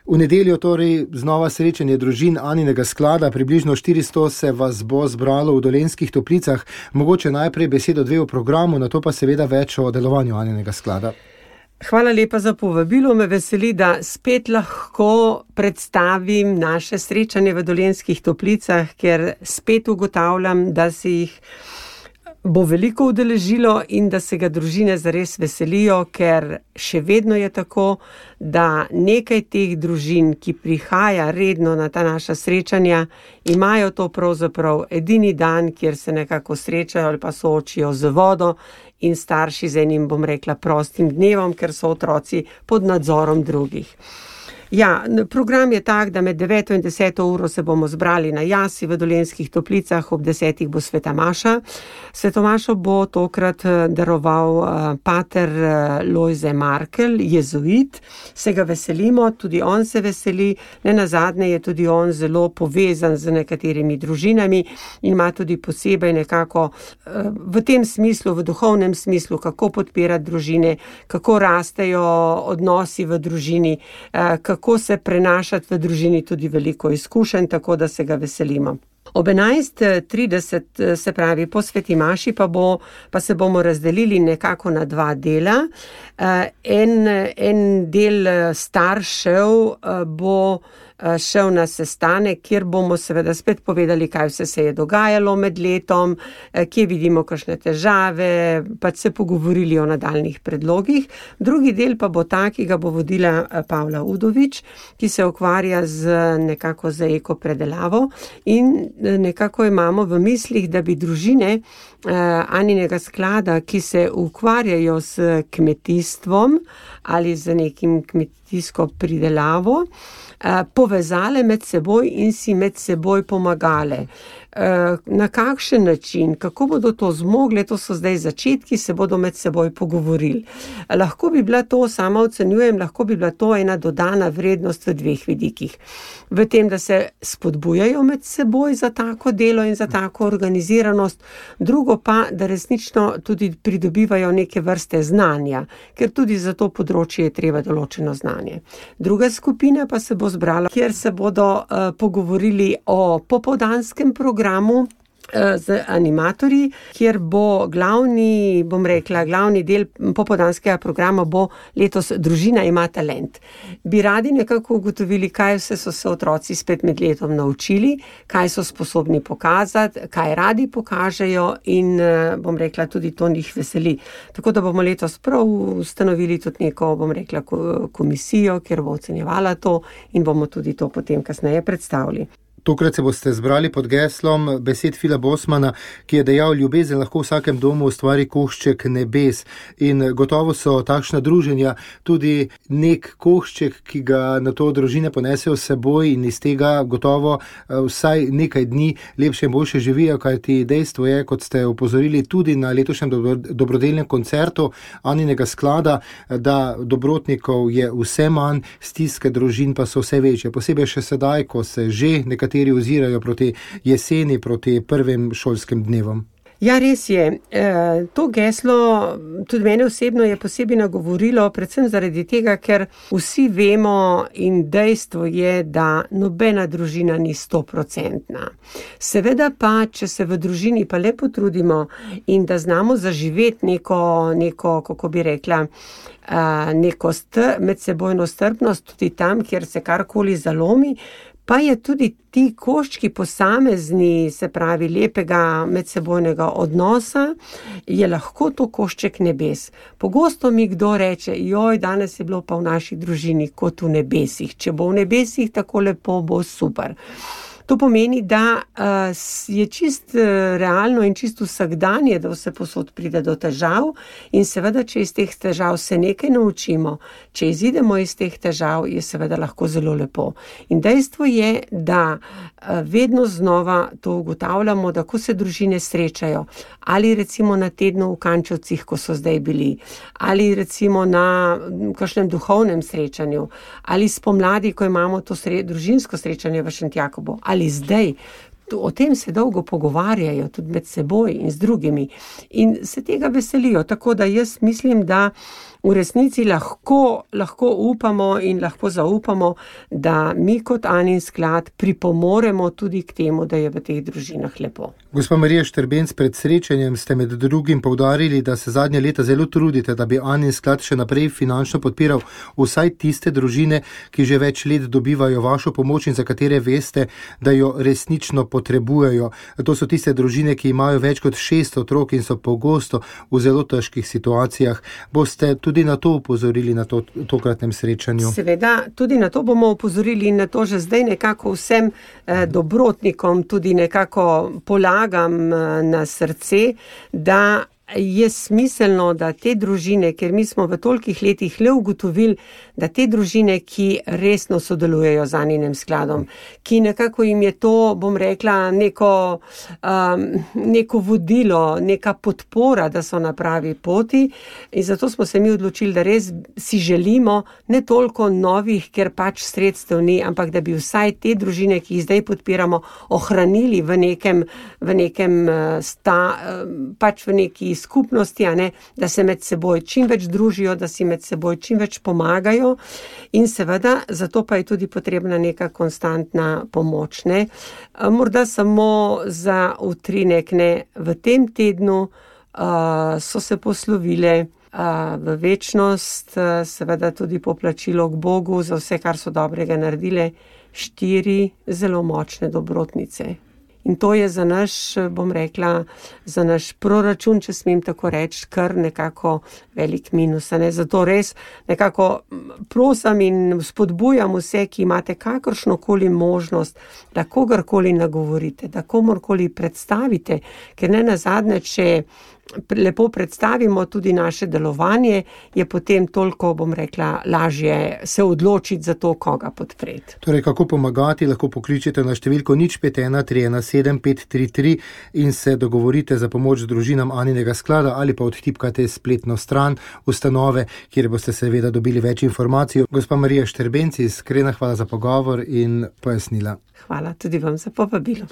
V nedeljo torej znova srečanje družin Aninega sklada, približno 400 se vas bo zbralo v Dolenjskih Toplicah. Mogoče najprej besedo dve o programu, nato pa seveda več o delovanju Aninega sklada. Hvala lepa za povabilo. Me veseli, da spet lahko predstavim naše srečanje v Dolenjskih Toplicah, ker spet ugotavljam, da se jih bo veliko udeležilo in da se ga družine zares veselijo, ker še vedno je tako, da nekaj teh družin, ki prihaja redno na ta naša srečanja, imajo to pravzaprav edini dan, kjer se nekako srečajo ali pa soočijo z vodo in starši z enim, bom rekla, prostim dnevom, ker so otroci pod nadzorom drugih. Ja, program je tak, da med 9 in 10 uro se bomo zbrali na jasi v Dolenjskih Toplicah, ob 10 bo sveta maša. Sveto mašo bo tokrat daroval pater Lojze Markel, jezuit. Se ga veselimo, tudi on se veseli. Nenazadnje je tudi on zelo povezan z nekaterimi družinami in ima tudi posebej nekako v tem smislu, v duhovnem smislu, kako podpirati družine, kako rastejo odnosi v družini, kako se prenašati v družini, tudi veliko izkušenj, tako da se ga veselimo. Ob 11:30, se pravi po sveti maši, pa se bomo razdelili nekako na dva dela. En del staršev bo šel na sestanek, kjer bomo seveda spet povedali, kaj vse se je dogajalo med letom, kje vidimo kakšne težave, pa se pogovorili o nadaljnih predlogih. Drugi del pa bo ta, ki ga bo vodila Pavla Udovič, ki se ukvarja nekako z eko predelavo in nekako imamo v mislih, da bi družine Aninega sklada, ki se ukvarjajo s kmetijstvom ali z nekim kmetijsko pridelavo, povezale med seboj in si med seboj pomagale. Na kakšen način, kako bodo to zmogle, to so zdaj začetki, se bodo med seboj pogovorili. Lahko bi bila to, sama ocenjujem, lahko bi bila to ena dodana vrednost v dveh vidikih. V tem, da se spodbujajo med seboj za tako delo in za tako organiziranost, drugo pa, da resnično tudi pridobivajo neke vrste znanja, ker tudi za to področje je treba določeno znanje. Druga skupina pa se bo zbrala, kjer se bodo pogovorili o popoldanskem programu z animatorji, kjer bo glavni del popoldanskega programa bo letos Družina ima talent. Bi radi nekako ugotovili, kaj vse so se otroci spet med letom naučili, kaj so sposobni pokazati, kaj radi pokažejo in tudi to njih veseli. Tako da bomo letos prav ustanovili tudi neko, komisijo, kjer bo ocenjevala to in bomo tudi to potem kasneje predstavili. Tokrat se boste zbrali pod geslom besed Fila Bosmana, ki je dejal: ljubezen lahko v vsakem domu ustvari košček nebes. In gotovo so takšna druženja tudi nek košček, ki ga na to družine ponesejo s seboj in iz tega gotovo vsaj nekaj dni lepše in boljše živijo, kajti dejstvo je, kot ste opozorili tudi na letošnjem dobrodelnem koncertu Aninega sklada, da dobrotnikov je vse manj, stiske družin pa so vse večje. Posebej še sedaj, ko se že nekateri ozirajo proti jeseni, proti prvim šolskim dnevom. Ja, res je. To geslo tudi mene osebno je posebej nagovorilo, predvsem zaradi tega, ker vsi vemo in dejstvo je, da nobena družina ni 100%. Seveda pa, če se v družini pa le potrudimo in da znamo zaživeti neko, kako bi rekla, neko medsebojno strpnost tudi tam, kjer se karkoli zalomi, pa je tudi ti koščki posamezni, se pravi lepega medsebojnega odnosa, je lahko to košček nebes. Pogosto mi kdo reče: joj, danes je bilo pa v naši družini kot v nebesih. Če bo v nebesih tako lepo, bo super. To pomeni, da je čist realno in čist vsakdanje, da vse posod pride do težav in seveda, če iz teh težav se nekaj naučimo, če izidemo iz teh težav, je seveda lahko zelo lepo. In dejstvo je, da vedno znova to ugotavljamo, da ko se družine srečajo, ali recimo na tednu v Kančevcih, ko so zdaj bili, ali recimo na kakšnem duhovnem srečanju, ali spomladi, ko imamo to družinsko srečanje v Šentjakobu, ali zdaj, o tem se dolgo pogovarjajo, tudi med seboj in z drugimi. In se tega veselijo, tako da jaz mislim, da v resnici lahko upamo in lahko zaupamo, da mi kot Anin sklad pripomoremo tudi k temu, da je v teh družinah lepo. Gospa Marija Štrbenc, pred srečanjem ste med drugim poudarili, da se zadnje leta zelo trudite, da bi Anin sklad še naprej finančno podpiral vsaj tiste družine, ki že več let dobivajo vašo pomoč in za katere veste, da jo resnično potrebujejo. To so tiste družine, ki imajo več kot 6 otrok in so pogosto v zelo težkih situacijah. Boste tudi na to upozorili na tokratnem srečanju? Seveda, tudi na to bomo upozorili in na to že zdaj nekako vsem dobrotnikom tudi nekako polagam na srce, da je smiselno, da te družine, ker mi smo v tolikih letih le ugotovili, da te družine, ki resno sodelujejo z Aninem skladom, ki nekako jim je to, bom rekla, neko vodilo, neka podpora, da so na pravi poti, in zato smo se mi odločili, da res si želimo ne toliko novih, ker pač sredstev ni, ampak da bi vsaj te družine, ki jih zdaj podpiramo, ohranili v neki skupnosti, da se med seboj čim več družijo, da si med seboj čim več pomagajo in seveda zato pa je tudi potrebna neka konstantna pomoč. Morda samo za utrinek, v tem tednu so se poslovile v večnost, seveda tudi poplačilo k Bogu za vse, kar so dobrega naredile, 4 zelo močne dobrotnice. In to je za naš, bom rekla, za naš proračun, če smem tako reči, kar nekako velik minus. Zato res nekako prosim in spodbujam vse, ki imate kakršnokoli možnost, da kogarkoli nagovorite, da komorkoli predstavite, ker ne nazadnje, če lepo predstavimo tudi naše delovanje, je potem toliko, bom rekla, lažje se odločiti za to, koga podpreti. Torej, kako pomagati, lahko pokličete na številko 0513175533 in se dogovorite za pomoč družinam Aninega sklada ali pa odtipkate spletno stran ustanove, kjer boste seveda dobili več informacij. Gospa Marija Štrbenc, iskrena hvala za pogovor in pojasnila. Hvala tudi vam za povabilo.